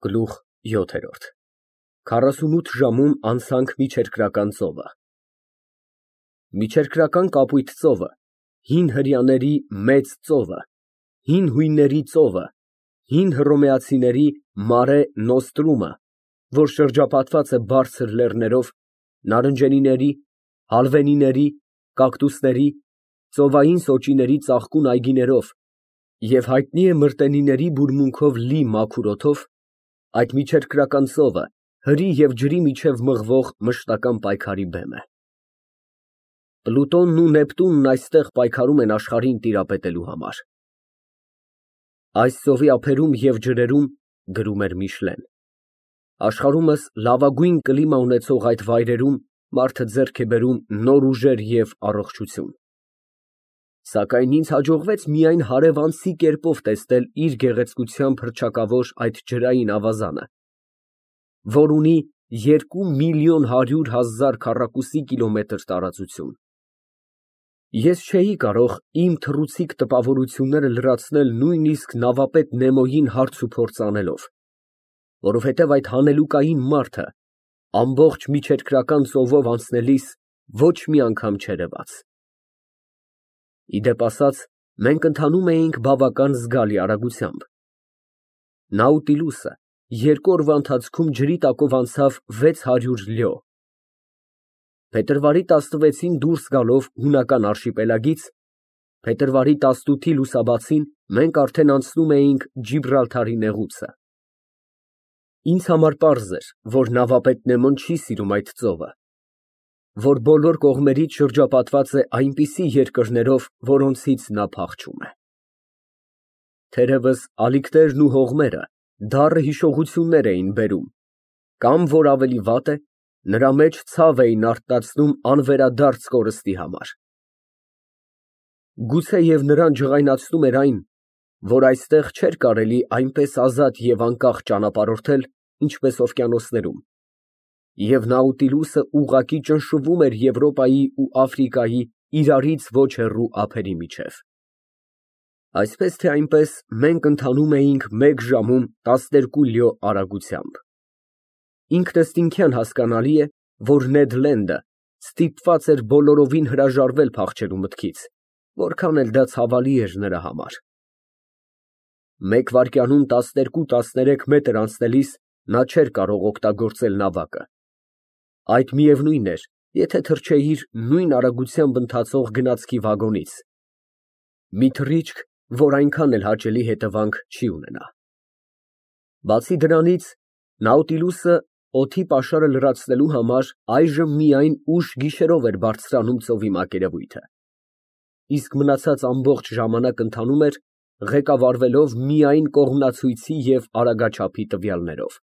Գլուխ 7 48 ժամում անցանք Միջերկրական ծովը։ Միջերկրական կապույտ ծովը, հին հրեաների մեծ ծովը, հին հույնների ծովը, հին հռոմեացիների Մարե Նոստրումը, որ շրջապատված է բարձր լեռներով, նարնջենիների, հալվենիների, կակտուսների, ծովային սոճիների ծաղկուն այգիներով և հայտնի է մրտենիների բուրմունքով լի մաքուր օդով, այդ միջերկրական ծովը հրի և ջրի միջև մղվող մշտական պայքարի բեմ է։ Պլուտոնն ու Նեպտունն այստեղ պայքարում են աշխարհին տիրապետելու համար։ Այս ծովի ափերում և ջրերում, գրում էր Միշլեն, աշխարհումս լավագույն կլիմա ունեցող այդ վայրերում մարդը ձեռք է բերում նոր ուժեր և առողջություն։ Սակայն ինձ հաջողվեց միայն հարևանցի կերպով տեսնել իր գեղեցկությամբ հռչակավոր այդ ջրային ավազանը, որ ունի 2.100.000 քառակուսի կիլոմետր տարածություն։ Ես չէի կարող իմ թռուցիկ տպավորությունները լրացնել նույնիսկ նավապետ Նեմոյին հարց ու փորձ անելով, որովհետև այդ հանելուկային մարդը ամբողջ միջերկրական ծովով անցնելիս ոչ մի անգամ չերևաց։ Ի դեպ ասած, մենք ընթանում էինք բավական զգալի արագությամբ։ Նաուտիլուսը 2 օրվա ընթացքում ջրի տակով անցավ 600 լյո։ Փետրվարի 16-ին դուրս գալով հունական արշիպելագից, փետրվարի 18-ի լուսաբացին մենք արդեն անցնում էինք Ջիբրալթարի նեղուցը։ Ինձ համար պարզ էր, որ նավապետ Նեմոն չի սիրում այդ ծովը, որ բոլոր կողմերից շրջապատված է այնպիսի երկրներով, որոնցից նա փախչում է։ Թերևս ալիքներն ու հողմերը դառը հիշողություններ էին բերում, կամ, որ ավելի վատ է, նրա մեջ ցավ էին արթնացնում անվերադարձ կորստի համար։ Գուցեև նրան ջղայնացնում էր այն, որ այստեղ չէր կարելի այնպես ազատ և անկախ ճանապարհորդել, ինչպես օվկիանոսներում, և Նաուտիլուսը ուղղակի ճնշվում էր Եվրոպայի ու Աֆրիկայի իրարից ոչ հեռու ափերի միջև։ Այսպես թե այնպես մենք ընթանում էինք 1 ժամում 12 լյո արագությամբ։ Ինքնըստինքյան հասկանալի է, որ Նեդ Լենդը ստիպված էր բոլորովին հրաժարվել փախչելու մտքից, որքան էլ դա ցավալի էր նրա համար։ 1 վայրկյանում 12-13 մետր անցնելիս նա չէր կարող օգտագործել նավակը։ Այդ միևնույն էր, եթե թռչեիր նույն արագությամբ ընթացող գնացքի վագոնից, մի թռիչք, որ այնքան էլ հաճելի հետևանք չի ունենա։ Բացի դրանից, Նաուտիլուսը օդի պաշարը լրացնելու համար այժմ միայն ուշ գիշերով էր բարձրանում ծովի մակերևույթը, իսկ մնացած ամբողջ ժամանակ ընթանում էր, ղեկավարվելով միայն կողմնացույցի և արագաչափի տվյալներով։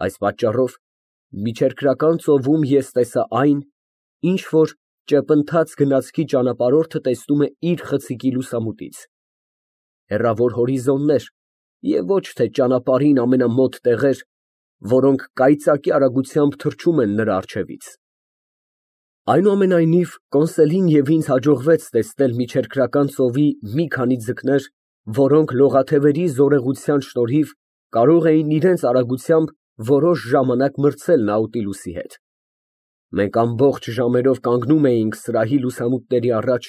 Այս պատճառով Միջերկրական ծովում ես տեսա այն, ինչ որ ճեպընթաց գնացքի ճանապարհորդը տեսնում է իր խցիկի լուսամուտից, հեռավոր հորիզոններ և ոչ թե ճանապարհին ամենամոտ տեղեր, որոնք կայծակի արագությամբ թռչում են նրա առջևից։ Այնուամենայնիվ, Կոնսելին և ինձ հաջողվեց տեսնել միջերկրական ծովի մի քանի ձկներ, որոնք լողաթևերի զորեղության շնորհիվ կարող էին իրենց արագությամբ որոշ ժամանակ մրցել Նաուտիլուսի հետ։ Մենք ամբողջ ժամերով կանգնում էինք սրահի լուսամուտների առաջ,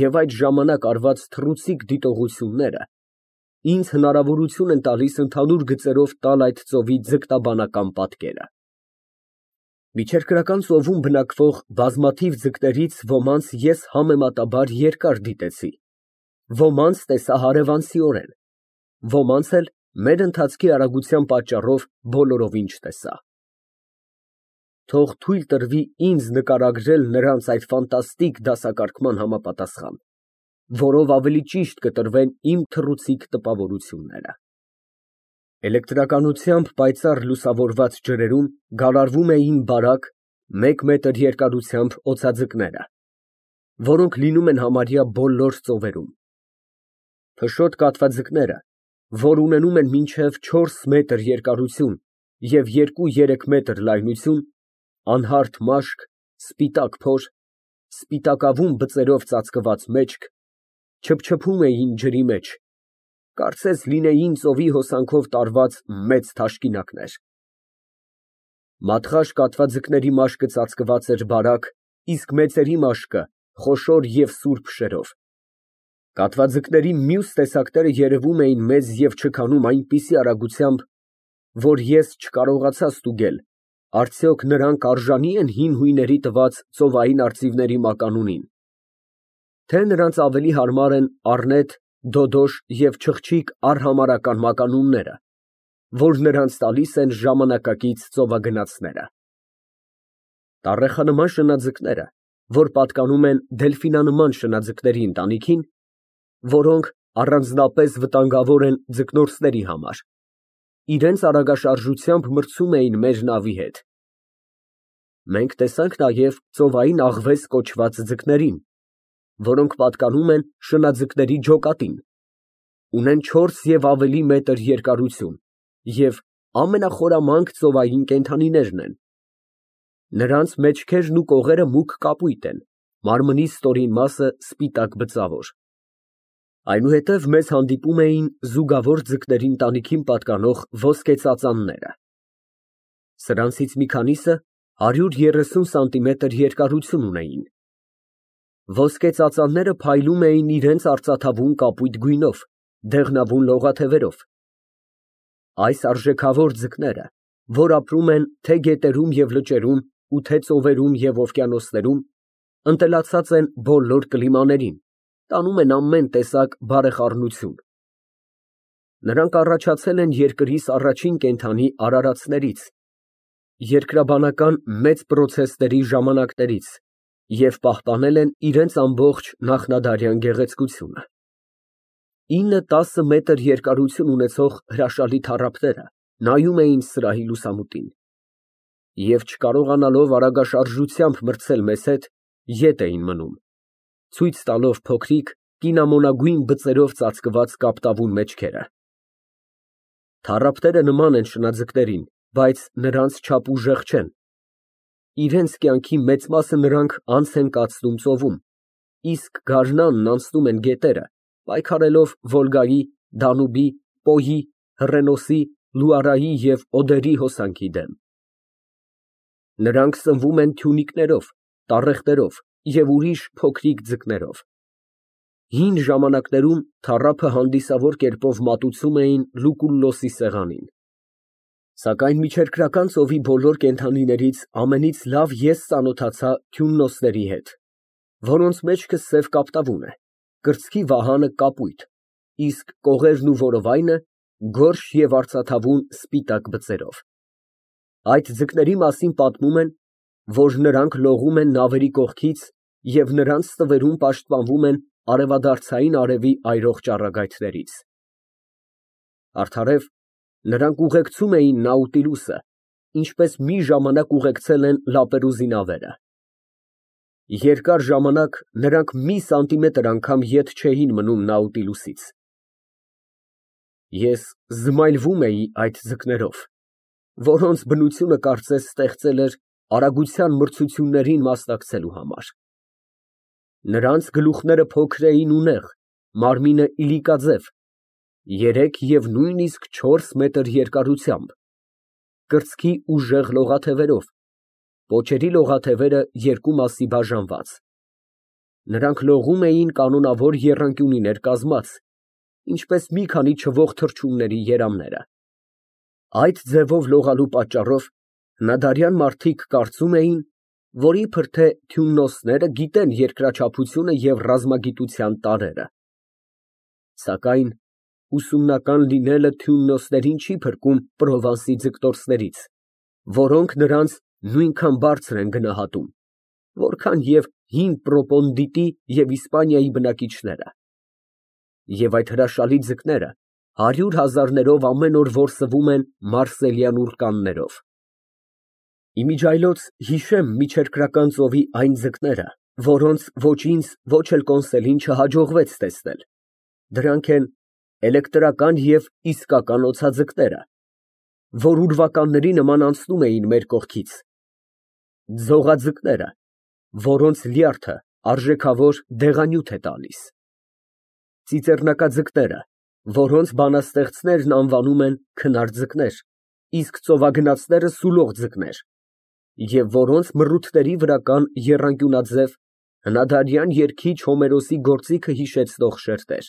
և այդ ժամանակ արված թռուցիկ դիտողությունները ինձ հնարավորություն են տալիս ընդհանուր գծերով տալ այդ ծովի ձգտաբանական պատկերը։ Միջերկրական ծովում բնակվող բազմաթիվ ձկներից ոմանց ես համեմատաբար երկար դիտեցի, ոմանց տեսա հարևանցիորեն, ոմանց էլ մեր ընթացքի արագության պատճառով բոլորովին չտեսա։ Թող թույլ տրվի ինձ նկարագրել նրանց այդ ֆանտաստիկ դասակարգման համապատասխան, որով ավելի ճիշտ կտրվեն իմ թռուցիկ տպավորությունները։ Էլեկտրականությամբ պայծառ լուսավորված ջրերում գալարվում էին բարակ, 1 մետր երկարությամբ օձաձկները, որոնք լինում են համարյա բոլոր ծովերում։ Փշոտ կատվաձկները, որ ունենում են մինչև 4 մետր երկարություն և 2-3 մետր լայնություն, անհարթ մաշկ, սպիտակ փոր, սպիտակավուն բծերով ծածկված մեջք, չփչփում էին ջրի մեջ, կարծես լինեին ծովի հոսանքով տարված մեծ թաշկինակներ։ Մատղաշ կատվաձկների մաշկը ծածկված էր բարակ, իսկ մեծերի մաշկը խոշոր և սուր փշերով։ Կատվաձկների մյուս տեսակները երևում էին մեզ և չքանում այնպիսի արագությամբ, որ ես չկարողացա ստուգել, արդյոք նրանք արժանի են հին հույների տված ծովային արծիվների մականունին, թե նրանց ավելի հարմար են առնետ, դոդոշ և չղջիկ արհամարհական մականունները, որ նրանց տալիս են ժամանակակից ծովագնացները։ Տառեխանման շնաձկները, որ պատկանում են դելֆինանման շնաձկների ընտանիքին, որոնք առանձնապես վտանգավոր են ձկնորսների համար, իրենց արագաշարժությամբ մրցում էին մեր նավի հետ։ Մենք տեսանք նաև ծովային աղվես կոչված ձկներին, որոնք պատկանում են շնաձկների ջոկատին, ունեն 4 և ավելի մետր երկարություն և ամենախորամանկ ծովային կենդանիներն են։ Նրանց մեջքերն ու կողերը մուգ կապույտ են, մարմնի ստորին մասը սպիտակ բծավոր։ Այնուհետև մեզ հանդիպում էին զուգավոր ձկների ընտանիքին պատկանող ոսկեծածանները։ Սրանցից մի քանիսը 130 սանտիմետր երկարություն ունեին։ Ոսկեծածանները փայլում էին իրենց արծաթավուն կապույտ գույնով, դեղնավուն լողաթևերով։ Այս արժեքավոր ձկները, որ ապրում են թե գետերում և լճերում ու թե ծովերում և օվկիանոսներում, ընտելացած են բոլոր կլիմաներին, տանում են ամեն տեսակ բարեխառնություն։ Նրանք առաջացել են երկրիս առաջին կենդանի արարածներից, երկրաբանական մեծ պրոցեսների ժամանակներից և պահպանել են իրենց ամբողջ նախնադարյան գեղեցկությունը։ 9-10 մետր երկարություն ունեցող հրաշալի թառափները նայում էին սրահի լուսամուտին և չկարողանալով արագաշարժությամբ մրցել մեզ հետ, ետ էին մնում, ցույց տալով փոքրիկ, կինամոնագույն բծերով ծածկված կապտավուն մեջքերը։ Թառափները նման են շնաձկներին, բայց նրանց չափ ուժեղ չեն։ Իրենց կյանքի մեծ մասը նրանք անց են կացնում ծովում, իսկ գարնանն անցնում են գետերը, պայքարելով Վոլգայի, Դանուբի, Պոյի, Հռենոսի, Լուարայի և Օդերի հոսանքի դեմ։ Նրանք սնվում են թյունիկներով, տառեղտերով և ուրիշ փոքրիկ ձկներով։ Հին ժամանակներում թառափը հանդիսավոր կերպով մատուցում էին Լուկուլլոսի սեղանին։ Սակայն միջերկրական ծովի բոլոր կենդանիներից ամենից լավ ես ծանոթացա քյուննոսների հետ, որոնց մեջքը սև կապտավուն է, կրծքի վահանը կապույտ, իսկ կողերն ու որովայնը գորշ և արծաթավուն սպիտակ բծերով։ Այդ ձկների մասին պատմում են, որ նրանք լողում են նավերի կողքից և նրանց ստվերում պաշտպանվում են արևադարձային արևի այրող ճառագայթներից։ Արդարև, նրանք ուղեկցում էին Նաուտիլուսը, ինչպես մի ժամանակ ուղեկցել են Լապերուզի նավերը։ Երկար ժամանակ նրանք մի սանտիմետր անգամ ետ չէին մնում Նաուտիլուսից։ Ես զմայլվում էի այդ ձկներով, որոնց բնությունը կարծես ստեղծել էր արագության մրցություններին մասնակցելու համար։ Նրանց գլուխները փոքր էին ու նեղ, մարմինը իլիկաձև, 3 և նույնիսկ 4 մետր երկարությամբ, կրծքի ուժեղ լողաթևերով, պոչերի լողաթևերը երկու մասի բաժանված։ Նրանք լողում էին կանոնավոր եռանկյունիներ կազմած, ինչպես մի քանի չվող թռչունների երամները։ Այդ ձևով լողալու պատճառով հնադարյան մարդիկ կարծում էին, որ իբր թե քյուննոսները գիտեն երկրաչափությունը և ռազմագիտության տարրերը։ Սակայն ուսումնական լինելը քյուննոսներին չի փրկում Պրովանսի ձկտորսներից, որոնք նրանց նույնքան բարձր են գնահատում, որքան և հին Պրոպոնդիտի և Իսպանիայի բնակիչները։ Եվ այդ հրաշալի ձկները 100,000-ներով ամեն օր որսվում են մարսելյան ուռկաններով։ Իմիջիայլոց հիշեմ միջերկրական ծովի այն ձկները, որոնց ոչ ինձ, ոչ էլ Կոնսելին չհաջողվեց տեսնել. դրանք են էլեկտրական և իսկական օձաձկները, որ ուրվականների նման անցնում էին մեր կողքից, ձողաձկները, որոնց լյարդը արժեքավոր դեղանյութ է տալիս, ծիծեռնակաձկները, որոնց բանաստեղծներն անվանում են քնարձկներ, իսկ ծովագնացները սուլող ձկներ, և որոնց մռութների վրա կան եռանկյունաձև, հնադարյան երգիչ Հոմերոսի գործիքը հիշեցնող շերտեր,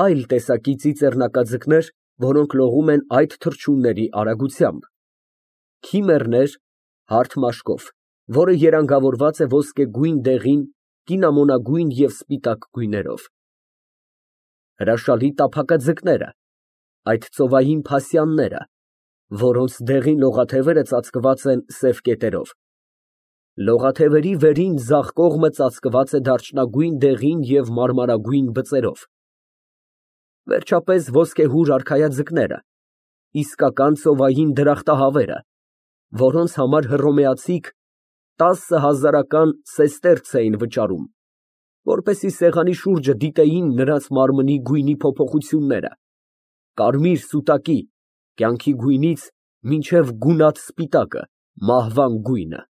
այլ տեսակի ծիծեռնակաձկներ, որոնք լողում են այդ թռչունների արագությամբ, քիմեռներ, հարթ մաշկով, որը երանգավորված է ոսկեգույն դեղին, կինամոնագույն և սպիտակ գույներով, հրաշալի տափակաձկները, այդ ծովային փասյանները, որոնց դեղին լողաթևերը ծածկված են սև կետերով, լողաթևերի վերին ձախ կողմը ծածկված է դարչնագույն դեղին և մարմարագույն բծերով, վերջապես ոսկեհուր արքայաձկները, իսկական ծովային դրախտահավերը, որոնց համար հռոմեացիք 10,000 սեստերց էին վճարում, որպեսզի սեղանի շուրջը դիտեին նրանց մարմնի գույնի փոփոխությունները, կարմիր սուտակի, կյանքի գույնից մինչև գունատ սպիտակը, մահվան գույնը։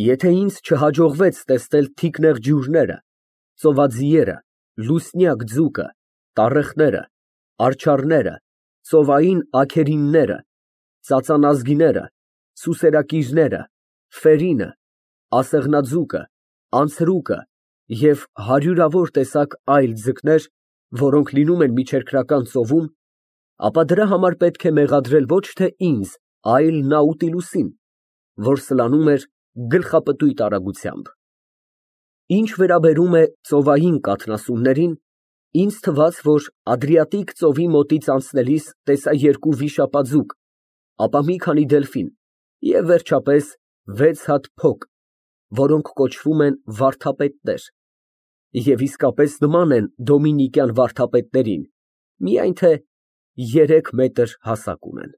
Եթե ինձ չհաջողվեց տեսնել թիկնեղ ջուրները, ծովաձիերը, լուսնյակ ձուկը, տառեխները, արջառները, ծովային աքերինները, ծածանազգիները, սուսերակիրները, ֆերինը, ասեղնաձուկը, անցրուկը և հարյուրավոր տեսակ այլ ձկներ, որոնք լինում են միջերկրական ծովում, ապա դրա համար պետք է մեղադրել ոչ թե ինձ, այլ Նաուտիլուսին, որ սլանում էր գլխապտույտ արագությամբ։ Ինչ վերաբերում է ծովային կաթնասուններին, ինձ թվաց, որ Ադրիատիկ ծովի մոտից անցնելիս տեսա երկու վիշապաձուկ, ապա մի քանի դելֆին և վերջապես 6 հատ փոկ, որոնք կոչվում են վարդապետներ, և իսկապես նման են դոմինիկյան վարդապետներին, միայն թե 3 մետր հասակ ունեն։